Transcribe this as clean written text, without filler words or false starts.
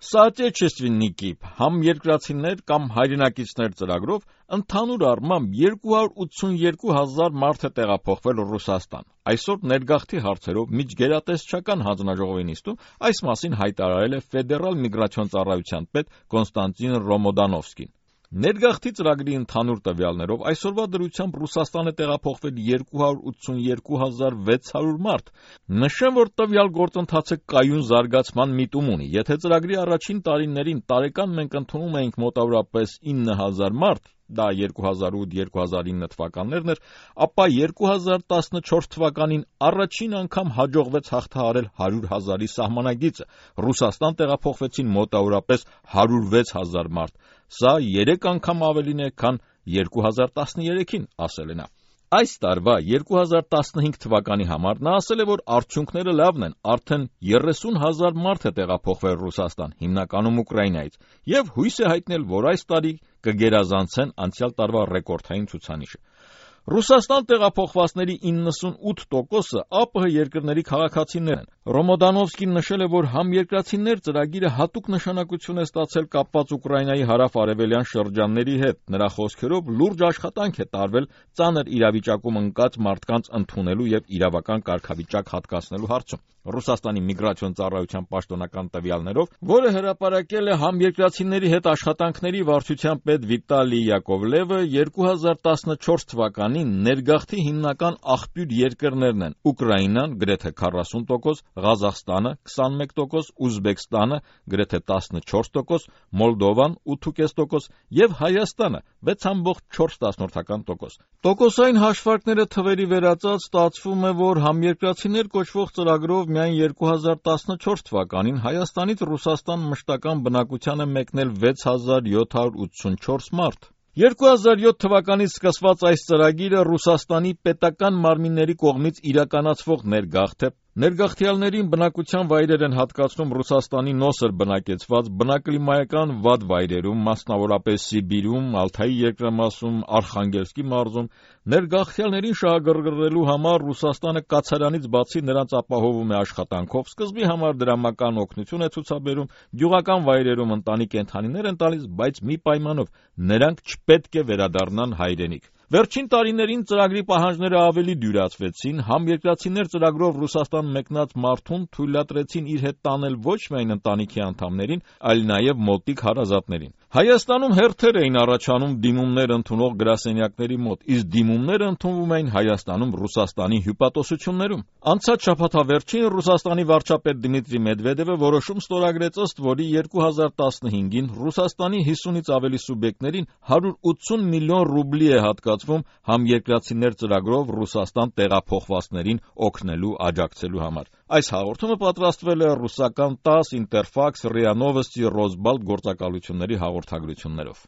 Соотечественники համերկրացիներ կամ հայրենակիցներ ծրագրով ընդհանուր առմամբ 282,000 մարդ է տեղափոխվել Ռուսաստան։ Այսօր ներգաղթի հարցերով միջգերատեսչական հանձնաժողովի նիստում այս մասին հայտարարել է ֆեդերալ միգրացիոն ծառայության պետ Կոնստանտին Ռոմոդանովսկին։ Ներգաղթի ծրագրի ընդհանուր տվյալներով այսօրվա դրությամբ Ռուսաստան է տեղափոխվել 282,600 մարդ։ Նշեմ, որ տվյալ գործընթացը կայուն զարգացման միտում ունի։ Եթե ծրագրի առաջին տարիներին տարեկան մենք ընդունում էինք մոտավորապես 9,000 մարդ, դա 2008-2009 թվականներն էր, ապա 2014 թվականին առաջին անգամ հաջողվեց հաղթահարել 100,000-ի սահմանագիծը։ Ռուսաստան տեղափոխվեցին մոտավորապես 106,000 մարդ։ Սա 3 անգամ ավելին է, քան 2013-ին, ասել է նա։ Այս տարվա 2015 թվականի համար նա ասել է, որ արդյունքները լավն են, արդեն 30,000 մարդ է տեղափոխվել Ռուսաստան, հիմնականում Ուկրաինայից, եւ հույս է հայտնել, որ այս տարի կգերազանցեն անցյալ տարվա ռեկորդային ցուցանիշը։ Ռուսաստան տեղափոխվածների 98%-ը ԱՊՀ երկրների քաղաքացիներ են։ Ռոմոդանովսկին նշել է, որ համերկրացիներ ծրագիրը հատուկ նշանակություն է ստացել կապված Ուկրաինայի հարավ-արևելյան շրջանների հետ։ Նրա խոսքերով լուրջ աշխատանք է տարվել ծանր իրավիճակում ընկած մարդկանց ընդունելու եւ իրավական կարգավիճակ հատկացնելու հարցում։ Ռուսաստանի միգրացիոն ծառայության պաշտոնական տվյալներով, որը հրապարակել է համերկրացիների հետ աշխատանքների վարչության պետ Վիտալի Յակովլևը, 2014 թվականին ներգաղթի հիմնական աղբյուր երկրներն են Ուկրաինան գրեթե 40%, Ղազախստանը 21%, Ուզբեկստանը գրեթե 14%, Մոլդովան 8.5% եւ Հայաստանը 6.4%։ Տոկոսային հաշվարկները թվերի վերածած ստացվում է, որ համերկրացիներ կոչվող ծրագրով միայն 2014 թվականին Հայաստանից Ռուսաստան մշտական բնակության է մեկնել 6,784 մարդ։ 2007 թվականից սկսված այս ծրագիրը Ռուսաստանի պետական մարմինների կողմից իրականացվող ներգաղթ է։ Ներգաղթյալներին բնակության վայրեր են հատկացնում Ռուսաստանի նոսր բնակեցված բնակլիմայական վատ վայրերում, մասնավորապես Սիբիրում, Ալթայի երկրամասում, Արխանգելսկի մարզում։ Ներգաղթյալներին շահագրգռելու համար Ռուսաստանը կացարանից բացի նրանց ապահովում է աշխատանքով, սկզբի համար դրամական օգնություն է ցուցաբերում, գյուղական վայրերում ընտանի կենդանիներ են տալիս, բայց մի պայմանով՝ նրանք չպետք է վերադառնան հայրենիք։ Վերջին տարիներին ծրագրի պահանջները ավելի դյուրացվեցին, համերկրացիներ ծրագրով Ռուսաստան մեկնած մարդուն թույլատրեցին իր հետ տանել ոչ միայն ընտանիքի անդամներին, այլ նաև մոտիկ հարազատներին։ Հայաստանում հերթեր էին առաջանում դիմումներ ընդունող գրասենյակների մոտ, իսկ դիմումները ընդունվում էին Հայաստանում Ռուսաստանի հյուպատոսություններում։ Անցած շաբաթավերջին Ռուսաստանի վարչապետ Դմիտրի Մեդվեդևը որոշում ստորագրեց, ըստ որի 2015-ին Ռուսաստանի 50-ից ավելի սուբյեկտներին 180 միլիոն ռուբլի է հատկացվում համերկրացիներ ծրագրով Ռուսաստան տեղափոխվածներին օգնելու աջակցելու համար։ Այս հաղորդումը պատրաստվել է ռուսական ՏԱՍՍ, Ինտերֆաքս, ՌԻԱ Նովոստի, Ռոսբալտ գործակալությունների հաղորդագրություններով։